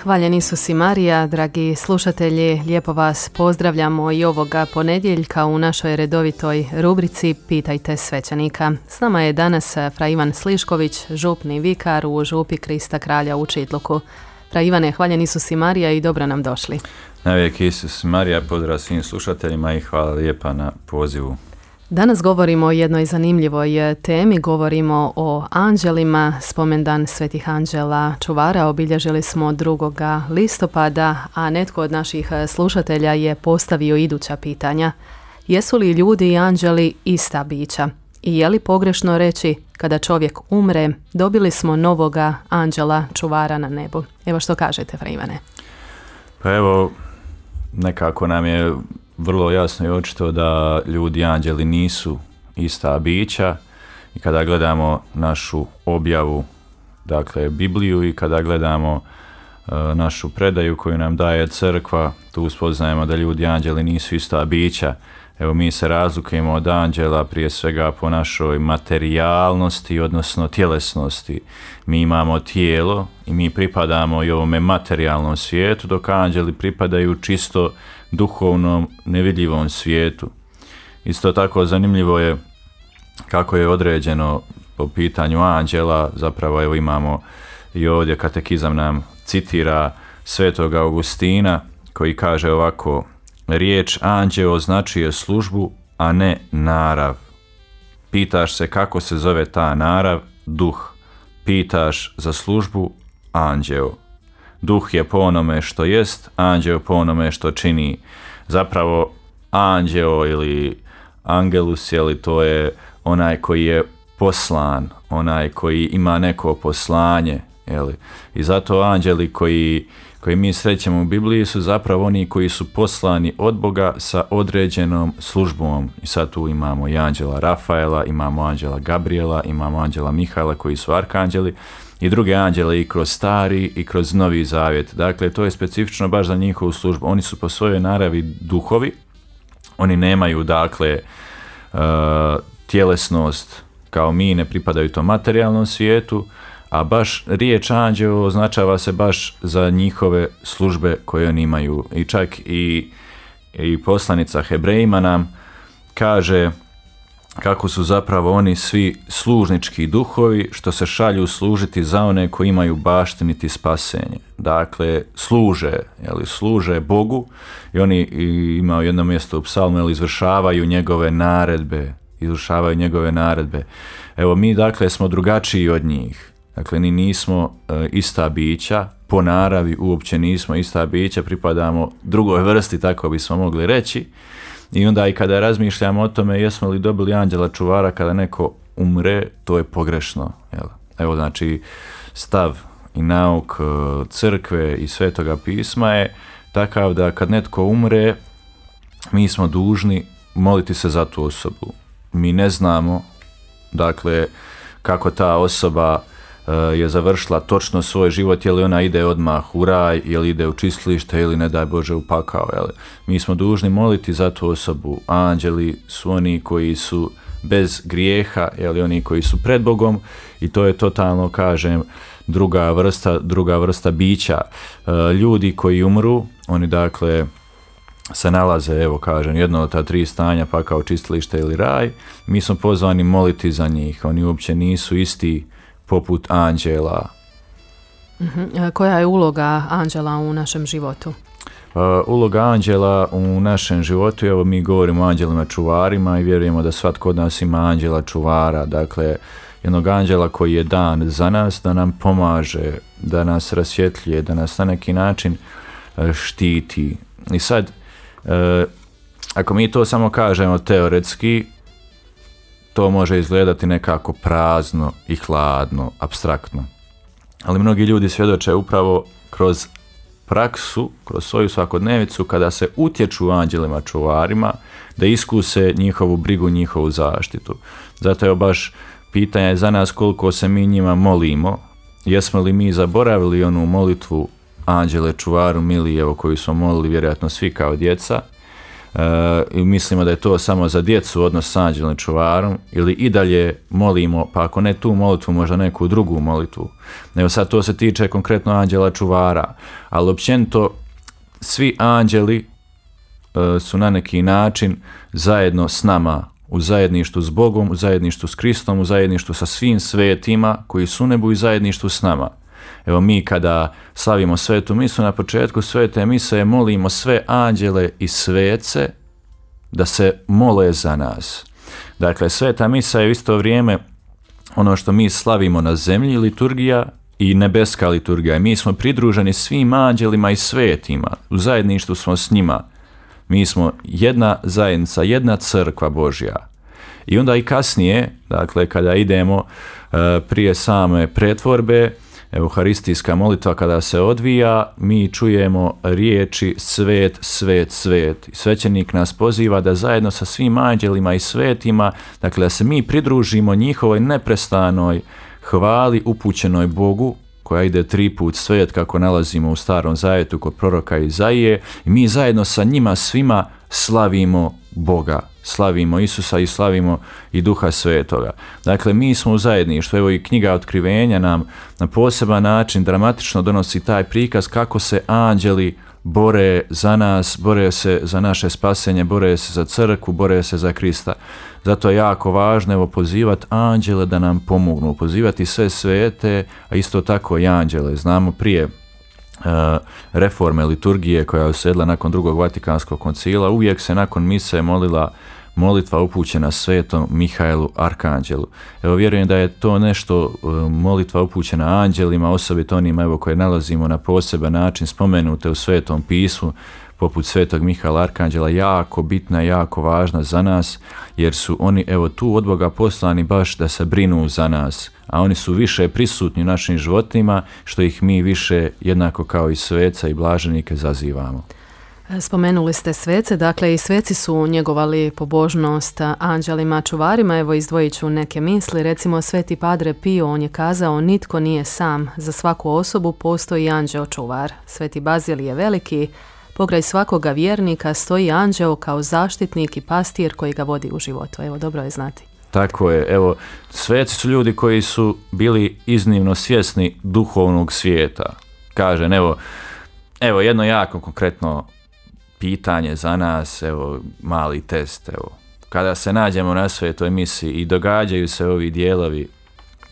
Hvaljen Isus i Marija, dragi slušatelji, lijepo vas pozdravljamo i ovoga ponedjeljka u našoj redovitoj rubrici Pitajte svećenika. S nama je danas fra Ivan Slišković, župni vikar u župi Krista Kralja u Čitluku. Fra Ivane, hvaljen Isus i Marija i dobro nam došli. Navijek Isus i Marija, pozdrav svim slušateljima i hvala lijepa na pozivu. Danas govorimo o jednoj zanimljivoj temi, govorimo o anđelima. Spomendan svetih anđela čuvara obilježili smo 2. listopada, a netko od naših slušatelja je postavio iduća pitanja. Jesu li ljudi i anđeli ista bića? I je li pogrešno reći kada čovjek umre, dobili smo novoga anđela čuvara na nebu? Evo što kažete, fra Ivane. Pa evo, nekako nam je vrlo jasno i očito da ljudi i anđeli nisu ista bića i kada gledamo našu objavu, dakle Bibliju, i kada gledamo našu predaju koju nam daje crkva, tu spoznajemo da ljudi i anđeli nisu ista bića. Evo, mi se razlikujemo od anđela prije svega po našoj materijalnosti, odnosno tjelesnosti. Mi imamo tijelo i mi pripadamo i ovome materijalnom svijetu, dok anđeli pripadaju čisto duhovnom, nevidljivom svijetu. Isto tako zanimljivo je kako je određeno po pitanju anđela. Zapravo evo imamo i ovdje katekizam nam citira svetog Augustina koji kaže ovako: riječ anđeo označuje službu, a ne narav. Pitaš se kako se zove ta narav? Duh. Pitaš za službu? Anđeo. Duh je po onome što jest, anđeo po onome što čini. Zapravo anđeo ili angelus, to je onaj koji je poslan, onaj koji ima neko poslanje. I zato anđeli koji mi srećemo u Bibliji su zapravo oni koji su poslani od Boga sa određenom službom. I sad tu imamo i anđela Rafaela, imamo anđela Gabriela, imamo anđela Mihaela koji su arkanđeli i druge anđele i kroz Stari i kroz Novi Zavjet. Dakle, to je specifično baš za njihovu službu. Oni su po svojoj naravi duhovi, oni nemaju dakle tjelesnost kao mi, ne pripadaju tom materijalnom svijetu, a baš riječ anđeo označava se baš za njihove službe koje oni imaju. I čak i poslanica Hebrejima nam kaže kako su zapravo oni svi služnički duhovi što se šalju služiti za one koji imaju baštiniti spasenje. Dakle, služe Bogu i oni imaju jedno mjesto u psalmu, izvršavaju njegove naredbe. Evo, mi dakle smo drugačiji od njih. Dakle, ni nismo ista bića, po naravi uopće nismo ista bića, pripadamo drugoj vrsti, tako bismo mogli reći. I onda i kada razmišljamo o tome jesmo li dobili anđela čuvara kada neko umre, to je pogrešno. Evo, znači, stav i nauk crkve i svetoga pisma je takav da kad netko umre, mi smo dužni moliti se za tu osobu. Mi ne znamo, dakle, kako ta osoba je završila točno svoj život, je li ona ide odmah u raj, je li ide u čistilište ili ne daj Bože u pakao. Mi smo dužni moliti za tu osobu. Anđeli su oni koji su bez grijeha, oni koji su pred Bogom, i to je totalno, kažem, druga vrsta bića. Ljudi koji umru, oni dakle se nalaze, evo kažem, jedno od ta 3 stanja, pakao, čistilište ili raj. Mi smo pozvani moliti za njih. Oni uopće nisu isti poput anđela. Koja je uloga anđela u našem životu? Uloga anđela u našem životu, evo mi govorimo o anđelima čuvarima i vjerujemo da svatko od nas ima anđela čuvara, dakle jednog anđela koji je dan za nas, da nam pomaže, da nas rasvjetljuje, da nas na neki način štiti. I sad, ako mi to samo kažemo teoretski, to može izgledati nekako prazno i hladno, apstraktno. Ali mnogi ljudi svjedoče upravo kroz praksu, kroz svoju svakodnevicu, kada se utječu anđelima čuvarima, da iskuse njihovu brigu, njihovu zaštitu. Zato je baš pitanje za nas koliko se mi njima molimo. Jesmo li mi zaboravili onu molitvu anđele čuvaru mili, evo koju smo molili vjerojatno svi kao djeca, i mislimo da je to samo za djecu odnos s anđelom čuvarom, ili i dalje molimo, pa ako ne tu molitvu, možda neku drugu molitvu. Evo sad to se tiče konkretno anđela čuvara, ali općenito svi anđeli su na neki način zajedno s nama, u zajedništvu s Bogom, u zajedništvu s Kristom, u zajedništvu sa svim svetima koji su u nebu i zajedništvu s nama. Evo mi kada slavimo svetu misu, na početku svete mise molimo sve anđele i svece da se mole za nas. Dakle, sveta misa je u isto vrijeme ono što mi slavimo na zemlji, liturgija, i nebeska liturgija. Mi smo pridruženi svim anđelima i svetima, u zajedništvu smo s njima. Mi smo jedna zajednica, jedna crkva Božja. I onda i kasnije, dakle, kada idemo prije same pretvorbe, euharistijska molitva kada se odvija, mi čujemo riječi svet, svet, svet. Svećenik nas poziva da zajedno sa svim anđelima i svetima, dakle, da se mi pridružimo njihovoj neprestanoj hvali upućenoj Bogu, koja ide 3 put svet, kako nalazimo u Starom Zavjetu kod proroka Izaije, i mi zajedno sa njima svima slavimo Boga, slavimo Isusa i slavimo i Duha Svetoga. Dakle, mi smo u zajedništvu. Evo i knjiga Otkrivenja nam na poseban način dramatično donosi taj prikaz kako se anđeli bore za nas, bore se za naše spasenje, bore se za crkvu, bore se za Krista. Zato je jako važno evo pozivati anđele da nam pomognu, pozivati sve svete, a isto tako i anđele. Znamo prije reforme liturgije koja je uslijedila nakon Drugog Vatikanskog koncila, uvijek se nakon mise molila molitva upućena svetom Mihajlu Arkanđelu. Evo, vjerujem da je to nešto, molitva upućena anđelima, osobito onima evo koje nalazimo na poseban način spomenute u Svetom pismu, poput svetog Mihajla Arkanđela, jako bitna, jako važna za nas, jer su oni evo tu od Boga poslani baš da se brinu za nas, a oni su više prisutni u našim životima, što ih mi više jednako kao i sveca i blaženike zazivamo. Spomenuli ste svece, dakle i sveci su njegovali pobožnost anđelima čuvarima. Evo izdvojit ću neke misli, recimo Sveti Padre Pio, on je kazao: nitko nije sam, za svaku osobu postoji anđeo čuvar. Sveti Bazil je veliki, pokraj svakoga vjernika stoji anđeo kao zaštitnik i pastir koji ga vodi u životu. Evo, dobro je znati. Tako je, evo, sveci su ljudi koji su bili iznimno svjesni duhovnog svijeta. Kažem, evo jedno jako konkretno pitanje za nas, evo mali test, evo. Kada se nađemo na svetoj misi i događaju se ovi dijelovi,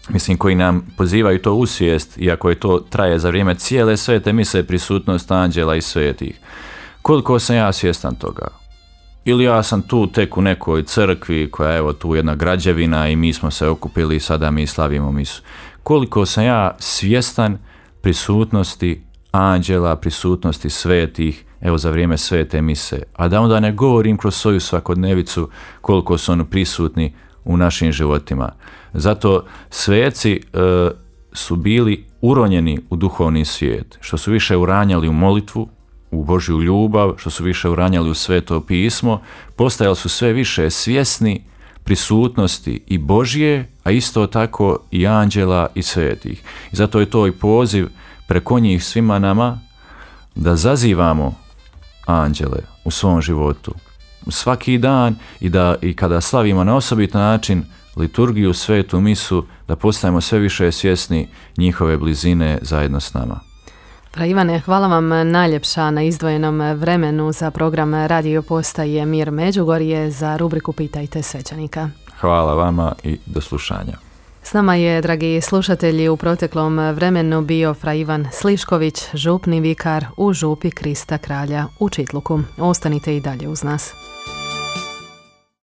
mislim, koji nam pozivaju to u svijest, iako je to traje za vrijeme cijele svete mise, prisutnost anđela i svetih. Koliko sam ja svjestan toga? Ili ja sam tu tek u nekoj crkvi koja je evo tu jedna građevina i mi smo se okupili i sada mi slavimo misu. Koliko sam ja svjestan prisutnosti anđela, prisutnosti svetih, evo za vrijeme svete mise, a da onda ne govorim kroz svoju svakodnevicu koliko su oni prisutni u našim životima. Zato sveci su bili uronjeni u duhovni svijet, što su više uranjali u molitvu, u Božju ljubav, što su više uranjali u Sveto pismo, postajali su sve više svjesni prisutnosti i Božje, a isto tako i anđela i svetih. I zato je to i poziv preko njih svima nama da zazivamo anđele u svom životu svaki dan i kada slavimo na osobit način liturgiju, svetu misu, da postajemo sve više svjesni njihove blizine zajedno s nama. Fra Ivane, hvala vam najljepša na izdvojenom vremenu za program Radio Postaje Mir Međugorje za rubriku Pitajte svećenika. Hvala vama i do slušanja. S nama je, dragi slušatelji, u proteklom vremenu bio fra Ivan Slišković, župni vikar u župi Krista Kralja u Čitluku. Ostanite i dalje uz nas.